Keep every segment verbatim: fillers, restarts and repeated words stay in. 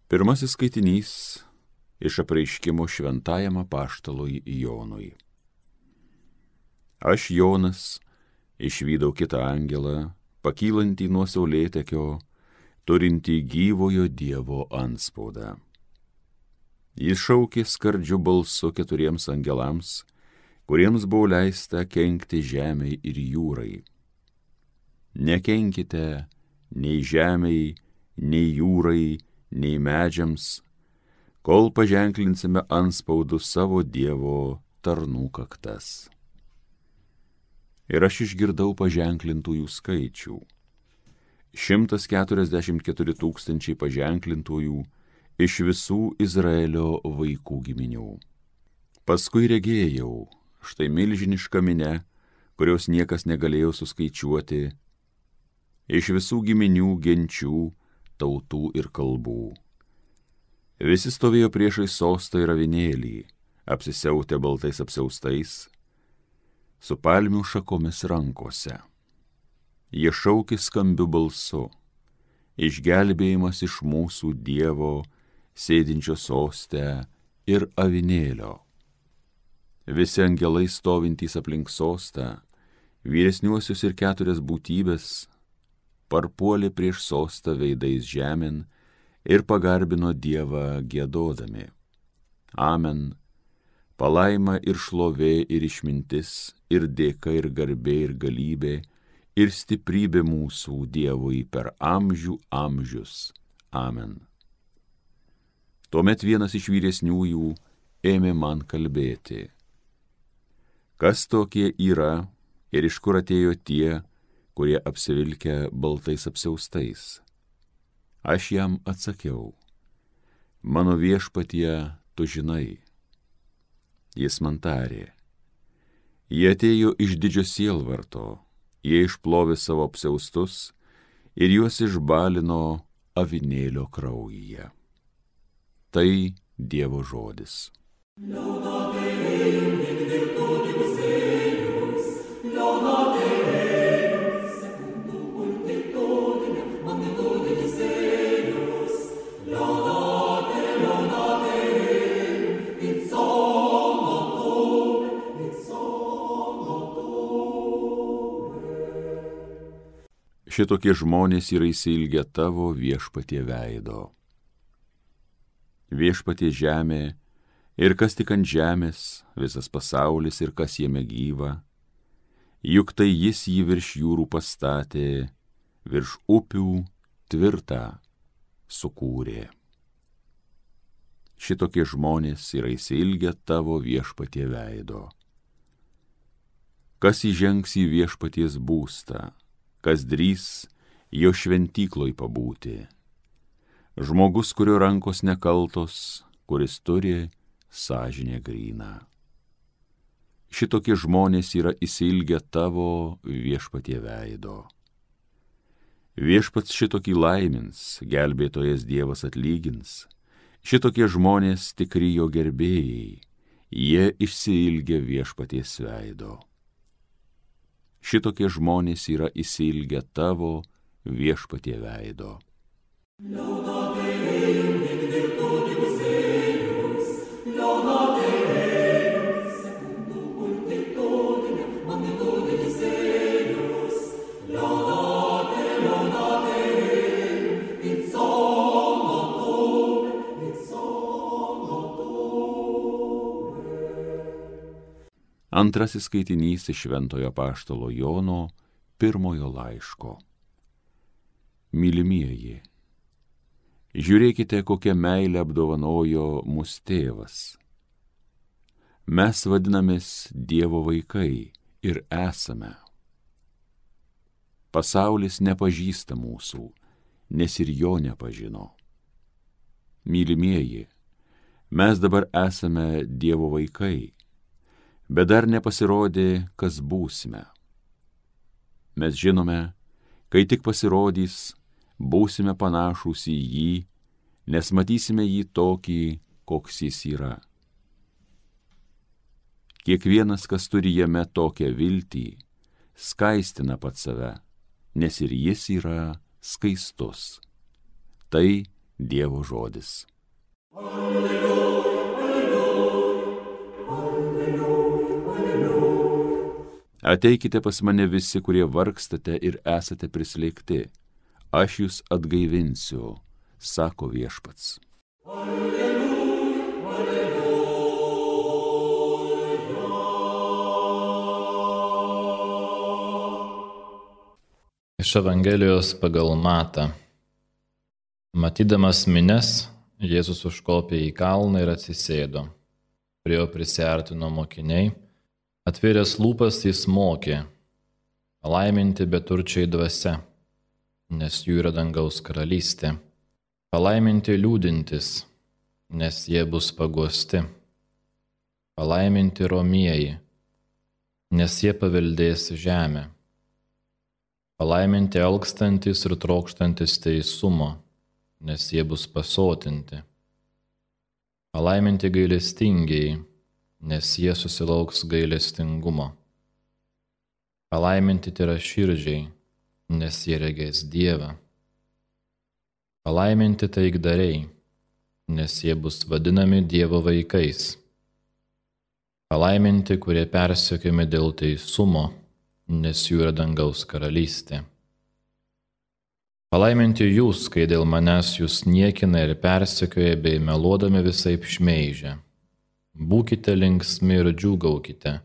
Pirmasis skaitinys iš apreiškimo šventajam apaštalui Jonui. Aš, Jonas, išvydau kitą angelą, pakylantį nuo saulėtekio, turintį gyvojo Dievo antspaudą. Jis šaukė skardžiu balsu keturiems angelams, kuriems buvo leista kenkti žemei ir jūrai. Nekenkite nei žemei, nei jūrai, nei medžiams, kol paženklinsime antspaudų savo Dievo tarnų kaktas. Ir aš išgirdau paženklintųjų skaičių. Šimtas keturiasdešimt keturi tūkstančiai paženklintųjų iš visų Izraelio vaikų giminių. Paskui regėjau, štai milžiniška minia, kurios niekas negalėjo suskaičiuoti, iš visų giminių, genčių, tautų ir kalbų. Visi stovėjo priešai sostą ir avinėlį, apsisiautę baltais apsiaustais, su palmių šakomis rankose. Jie šaukė skambiu balsu, išgelbėjimas iš mūsų Dievo, sėdinčio soste ir avinėlio. Visi angelai stovintys aplink sostą, vyresniuosius ir keturias būtybės, parpuolė prieš sostą veidais žemėn ir pagarbino Dievą giedodami. Amen. Palaima ir šlovė ir išmintis, ir dėka ir garbė ir galybė, ir stiprybė mūsų Dievui per amžių amžius. Amen. Tuomet vienas iš vyresniųjų ėmė man kalbėti. Kas tokie yra ir iš kur atėjo tie, kurie apsivilkę baltais apsiaustais? Aš jam atsakiau, mano viešpatie, tu žinai. Jis man tarė, jie atėjo iš didžio sielvarto, jie išplovė savo apsiaustus ir juos išbalino avinėlio kraujyje. Tai Dievo žodis. Šitokie žmonės yra įsilgę tavo viešpatie veido. Viešpatie žemė ir kas tik ant žemės, visas pasaulis ir kas jame gyva, juk tai jis jį virš jūrų pastatė, virš upių tvirtą sukūrė. Šitokie žmonės yra įsilgę tavo viešpatie veido. Kas įžengs į viešpaties būstą, kas drįs jo šventykloj pabūti. Žmogus, kurio rankos nekaltos, kuris turi sąžinę gryną. Šitokie žmonės yra įsilgę tavo viešpatie veido. Viešpats šitokį laimins, gelbėtojas Dievas atlygins. Šitokie žmonės tikri jo gerbėjai, jie išsiilgę viešpaties veido. Šitokie žmonės yra įsilgę tavo viešpatie veido. Antrasis skaitinys iš šventojo apaštalo Jono pirmojo laiško. Mylimieji, žiūrėkite, kokią meilę apdovanojo mus tėvas. Mes vadinamės Dievo vaikai ir esame. Pasaulis nepažįsta mūsų, nes ir jo nepažino. Mylimieji, mes dabar esame Dievo vaikai, bet dar nepasirodė, kas būsime. Mes žinome, kai tik pasirodys, būsime panašūs į jį, nes matysime jį tokį, koks jis yra. Kiekvienas, kas turi jame tokią viltį, skaistina pats save, nes ir jis yra skaistus. Tai Dievo žodis. Ateikite pas mane visi, kurie vargstate ir esate prislėgti. Aš jūs atgaivinsiu, sako viešpats. Iš Evangelijos pagal Matą. Matydamas minias, Jėzus užkopė į kalną ir atsisėdo. Prie jo prisiartino mokiniai, atvėręs lūpas jis mokė: palaiminti beturčiai dvasia, nes jų yra dangaus karalystė. Palaiminti liūdintys, nes jie bus paguosti. Palaiminti romieji, nes jie paveldės žemę. Palaiminti alkstantys ir trokštantys teisumo, nes jie bus pasotinti. Palaiminti gailestingieji, nes jie susilauks gailestingumo. Palaiminti tyraširdžiai, nes jie regės Dievą. Palaiminti taikdariai, nes jie bus vadinami Dievo vaikais. Palaiminti, kurie persekiojami dėl teisumo, nes jų yra dangaus karalystė. Palaiminti jūs, kai dėl manęs jūs niekina ir persekioja bei meluodami visaip šmeižia. Būkite linksmi ir džiūgaukite,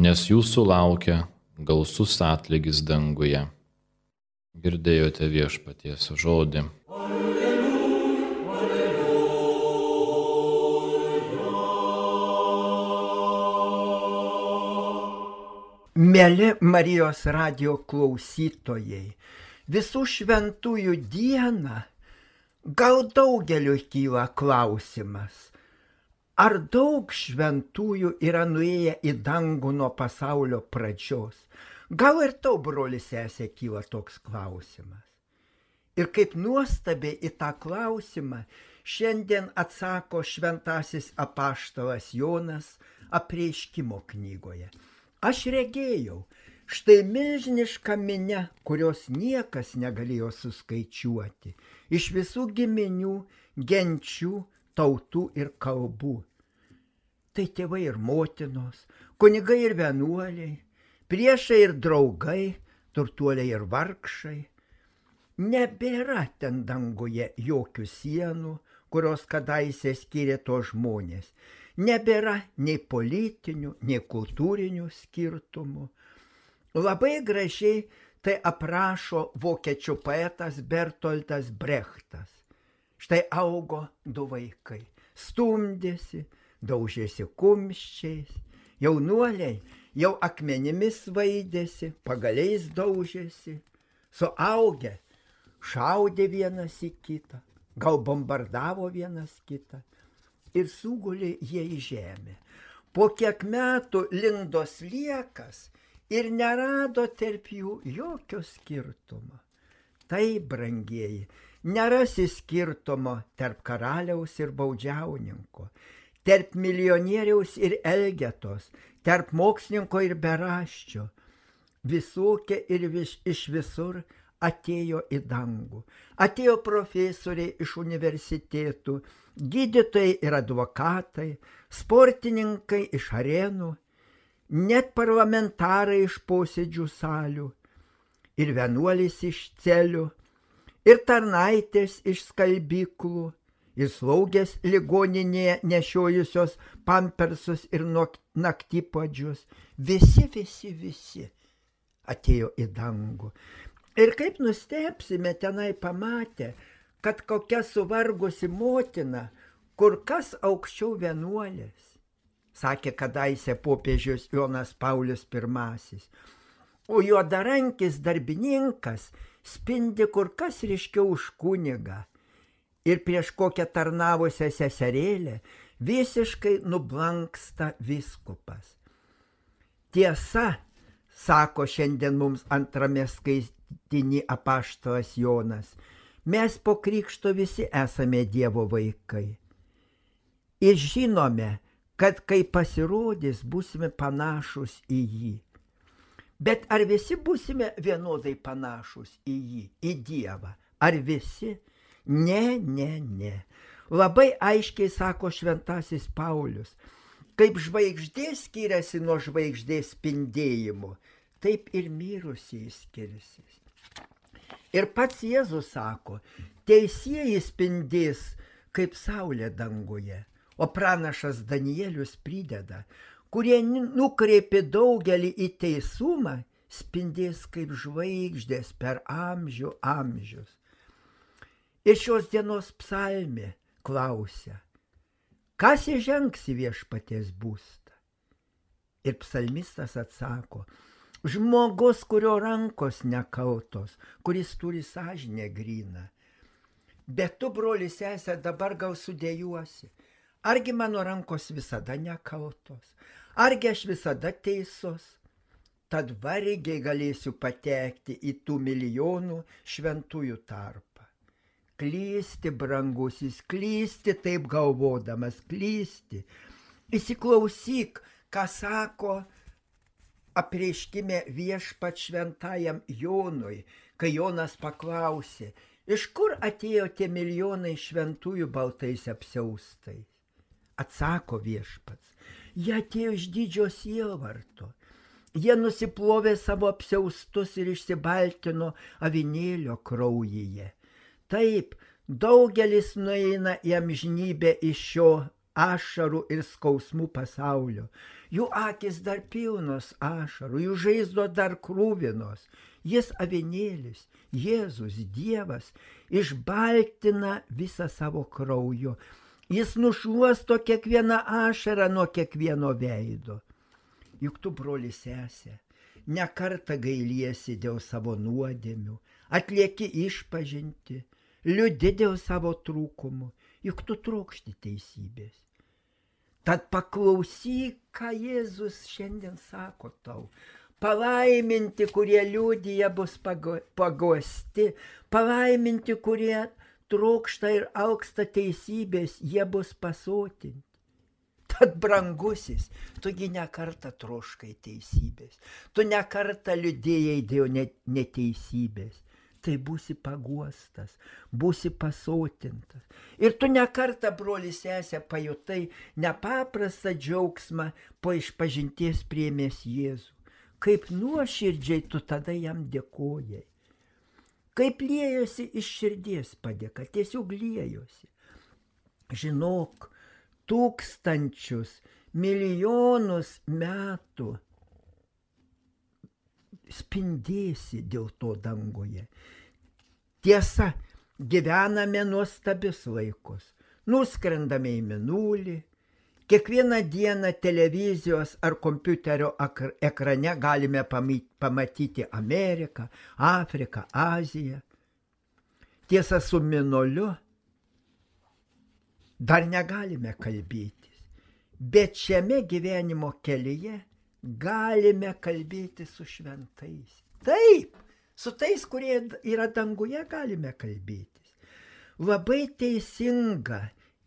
nes jūsų laukia gausus atlygis danguje. Girdėjote viešpaties žodį. Mieli Marijos radijo klausytojai, visų šventųjų dieną gal daugeliu kyla klausimas, ar daug šventųjų yra nuėję į dangų nuo pasaulio pradžios? Gal ir tau, broli sesė, kyla toks klausimas. Ir kaip nuostabiai į tą klausimą šiandien atsako šventasis apaštalas Jonas Apreiškimo knygoje. Aš regėjau, štai milžiniška minia, kurios niekas negalėjo suskaičiuoti, iš visų giminių, genčių, tautų ir kalbų. Tai tėvai ir motinos, kunigai ir vienuoliai, priešai ir draugai, turtuoliai ir vargšai. Nebėra ten danguje jokių sienų, kurios kadaise skyrė tos žmonės. Nebėra nei politinių, nei kultūrinių skirtumų. Labai gražiai tai aprašo vokiečių poetas Bertoltas Brechtas. Štai augo du vaikai, stumdėsi, daužėsi kumščiais, jaunuoliai jau akmenimis vaidėsi, pagaliais daužėsi, suaugę šaudė vienas į kitą, gal bombardavo vienas kitą. Ir sugulė jie į žemę. Po kiek metų lindo sliekas ir nerado tarp jų jokio skirtumo. Tai, brangieji, nerasi skirtumo tarp karaliaus ir baudžiauninko, tarp milijonieriaus ir elgetos, tarp mokslininko ir beraščio. Visokie ir vis, iš visur atėjo į dangų. Atėjo profesoriai iš universitėtų, gydytojai ir advokatai, sportininkai iš arenų, net parlamentarai iš posėdžių salių, ir vienuolis iš celių, ir tarnaitės iš skalbyklų, ir slaugės ligoninėje nešiojusios pampersus ir naktypadžius. Visi, visi, visi atėjo į dangų. Ir kaip nustebsime tenai pamatę, kad kokia suvargusi motina kur kas aukščiau vienuolės, sakė kadaise popiežius Jonas Paulius pirmasis. O juodarankis darbininkas spindi kur kas ryškiau už kunigą. Ir prieš kokią tarnavusią seserėlę visiškai nublanksta vyskupas. Tiesa, sako šiandien mums antrame skaitiny apaštalas Jonas, mes po krikšto visi esame Dievo vaikai. Ir žinome, kad kai pasirodys, būsime panašus į jį. Bet ar visi būsime vienodai panašus į jį, į Dievą? Ar visi? Ne, ne, ne. Labai aiškiai sako šventasis Paulius, kaip žvaigždė skiriasi nuo žvaigždės spindėjimo, taip ir mirusieji skirsis. Ir pats Jėzus sako, teisieji spindės kaip saulė danguje, o pranašas Danielius prideda, kurie nukreipė daugelį į teisumą, spindės kaip žvaigždės per amžių amžius. Ir šios dienos psalmė klausia, kas įžengs į viešpaties būstą? Ir psalmistas atsako, žmogus, kurio rankos nekaltos, kuris turi sąžinę gryną. Bet tu, broli sesė, dabar gal sudėjuosi. Argi mano rankos visada nekaltos? Argi aš visada teisus? Tad vargiai galėsiu patekti į tų milijonų šventųjų tarpą. Klysti, brangusis, klysti taip galvodamas, klysti. Įsiklausyk, ką sako apreiškime viešpat šventajam Jonui, kai Jonas paklausė, iš kur atėjo tie milijonai šventųjų baltais apsiaustais? Atsako viešpats, jie atėjo iš didžio sielvarto. Jie nusiplovė savo apsiaustus ir išsibaltino avinėlio kraujyje. Taip, daugelis nueina į amžinybę iš šio ašarų ir skausmų pasaulio. Jų akis dar pilnos ašarų, jų žaizdos dar krūvinos. Jis avinėlis, Jėzus, Dievas, išbaltina visą savo krauju. Jis nušluosto kiekvieną ašarą nuo kiekvieno veido. Juk tu, broli sesė, ne kartą gailiesi dėl savo nuodėmių, atlieki išpažinti, liūdi dėl savo trūkumų, juk tu trokšti teisybės. Tad paklausyk, ką Jėzus šiandien sako tau. Palaiminti, kurie liūdija, bus paguosti, palaiminti, kurie trokšta ir alksta teisybės, jie bus pasotinti. Tad, brangusis, tugi ne kartą troškai teisybės, tu ne kartą liūdėjai dėl neteisybės, tai būsi paguostas, būsi pasotintas. Ir tu ne kartą, broli sesė, pajutai nepaprastą džiaugsmą po išpažinties priėmęs Jėzų. Kaip nuoširdžiai tu tada jam dėkojai. Kaip liejosi iš širdies padėka, tiesiog liejosi. Žinok, tūkstančius, milijonus metų spindėsi dėl to danguje. Tiesa, gyvename nuostabius laikus, nuskrendame į mėnulį, kiekvieną dieną televizijos ar kompiuterio ekrane galime pamatyti Ameriką, Afriką, Aziją. Tiesa, su mėnuliu dar negalime kalbėtis, bet šiame gyvenimo kelyje galime kalbėti su šventais. Taip, su tais, kurie yra danguje, galime kalbėtis. Labai teisinga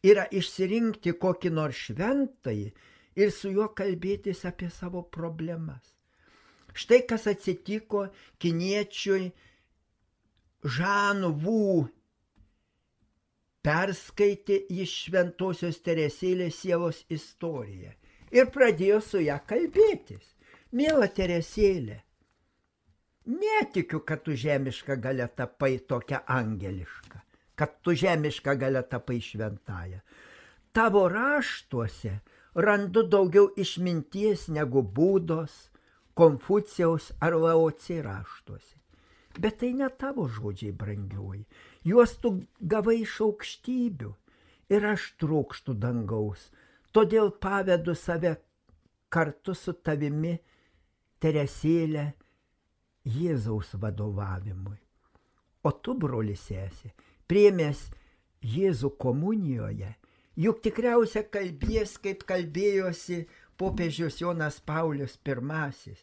yra išsirinkti kokį nors šventąjį ir su juo kalbėtis apie savo problemas. Štai kas atsitiko kiniečiui Žanu Vu. Perskaitė iš šventosios Teresėlės sielos istoriją ir pradėjo su ją kalbėtis. Miela Teresėlė, netikiu, kad tu žemiška galia tapai tokia angeliška, kad tu žemiška galia tapai šventąja. Tavo raštuose randu daugiau išminties negu Būdos, Konfucijaus ar Laocė raštuose. Bet tai ne tavo žodžiai, brangioji. Juos tu gavai iš aukštybių ir aš trokštu dangaus. Todėl pavedu save kartu su tavimi, Teresėlė, Jėzaus vadovavimui. O tu, broli sesė, priėmęs Jėzų komunijoje, juk tikriausia kalbės, kaip kalbėjosi popiežius Jonas Paulius pirmasis.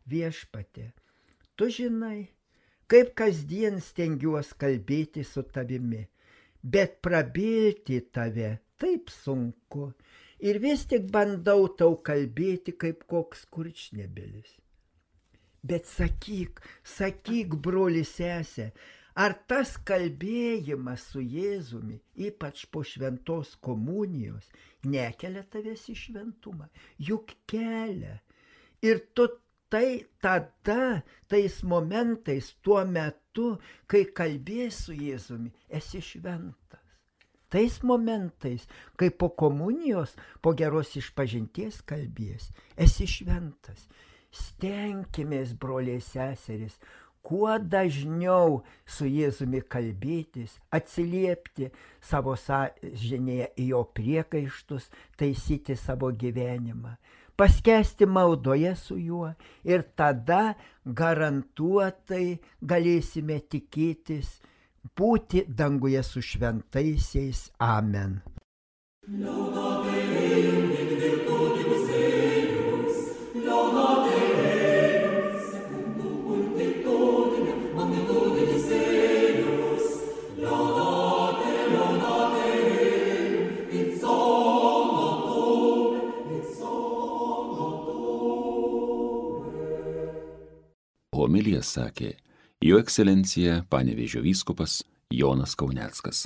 Viešpatie, tu žinai, kaip kasdien stengiuos kalbėti su tavimi, bet prabilti tave taip sunku ir vis tik bandau tau kalbėti kaip koks kurčnebylis. Bet sakyk, sakyk, broli sesė, Ar tas kalbėjimas su Jėzumi, ypač po šventos komunijos, nekelia tavęs į šventumą? Juk kelia. Ir tu tai tada, tais momentais, tuo metu, kai kalbės su Jėzumi, esi šventas. Tais momentais, kai po komunijos, po geros išpažinties kalbės, esi šventas. Stenkimės, broliai seserys, kuo dažniau su Jėzumi kalbėtis, atsiliepti savo sąžinėje į jo priekaištus, taisyti savo gyvenimą, paskęsti maldoje su juo ir tada garantuotai galėsime tikėtis būti danguje su šventaisiais. Amen. Homiliją sakė Jo ekscelencija Panevėžio vyskupas Jonas Kauneckas.